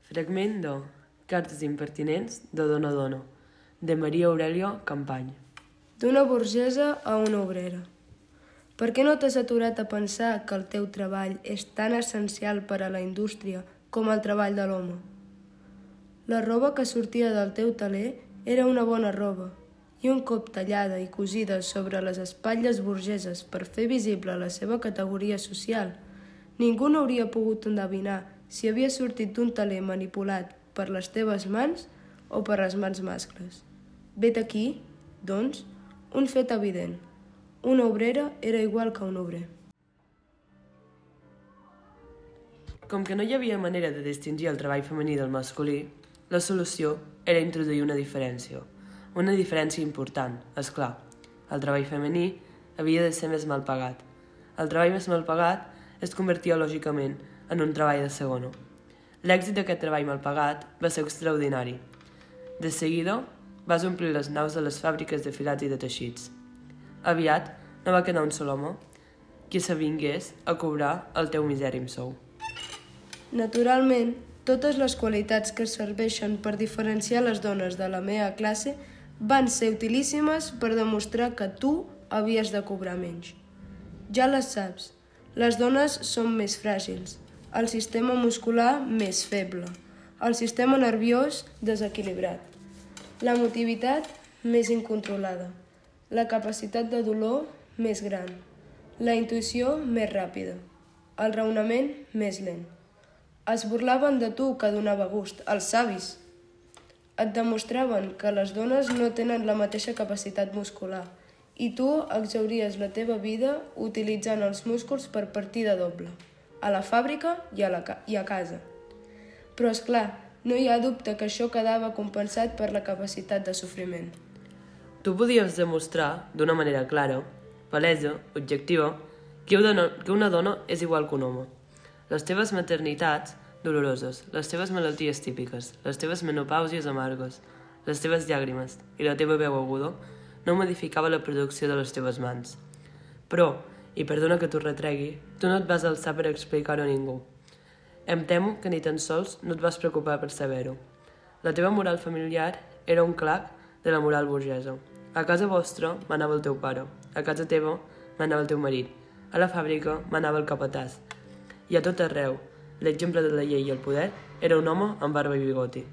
Fragment de Cartes impertinents de Dona Dona, de Maria Aurèlia Campany. D'una burgesa a una obrera. Per què no t'has aturat a pensar que el teu treball és tan essencial per a la indústria com el treball de l'home? La roba que sortia del teu teler era una bona roba, i un cop tallada i cosida sobre les espatlles burgeses per fer visible la seva categoria social, ningú no hauria pogut endevinar si havia sortit d'un teler manipulat per les teves mans o per les mans mascles. Vet aquí, doncs, un fet evident. Una obrera era igual que un obrer. Com que no hi havia manera de distingir el treball femení del masculí, la solució era introduir una diferència important, és clar. El treball femení havia de ser més mal pagat. El treball més mal pagat es convertia lògicament en un treball de segona. L'èxit d'aquest treball mal pagat va ser extraordinari. De seguida, vas omplir les naus de les fàbriques de filats i de teixits. Aviat no va quedar un sol home qui s'avingués a cobrar el teu misèrim sou. Naturalment, totes les qualitats que serveixen per diferenciar les dones de la meva classe van ser utilíssimes per demostrar que tu havies de cobrar menys. Ja les saps, les dones són més fràgils, el sistema muscular més feble, el sistema nerviós desequilibrat, l'emotivitat més incontrolada, la capacitat de dolor més gran, la intuïció més ràpida, el raonament més lent. Es burlaven de tu que donava gust, els savis. Et demostraven que les dones no tenen la mateixa capacitat muscular i tu exhauries la teva vida utilitzant els músculs per partida doble, a la fàbrica i a casa. Però, és clar, no hi ha dubte que això quedava compensat per la capacitat de sofriment. Tu podies demostrar, d'una manera clara, palesa, objectiva, que una dona és igual que un home. Les teves maternitats doloroses, les teves malalties típiques, les teves menopàusies amargues, les teves llàgrimes i la teva veu aguda no modificava la producció de les teves mans. Però, i perdona que t'ho retregui, tu no et vas alçar per explicar-ho a ningú. Em temo que ni tan sols no et vas preocupar per saber-ho. La teva moral familiar era un clac de la moral burgesa. A casa vostra manava el teu pare, a casa teva manava el teu marit, a la fàbrica manava el capatàs. I a tot arreu, l'exemple de la llei i el poder era un home amb barba i bigoti.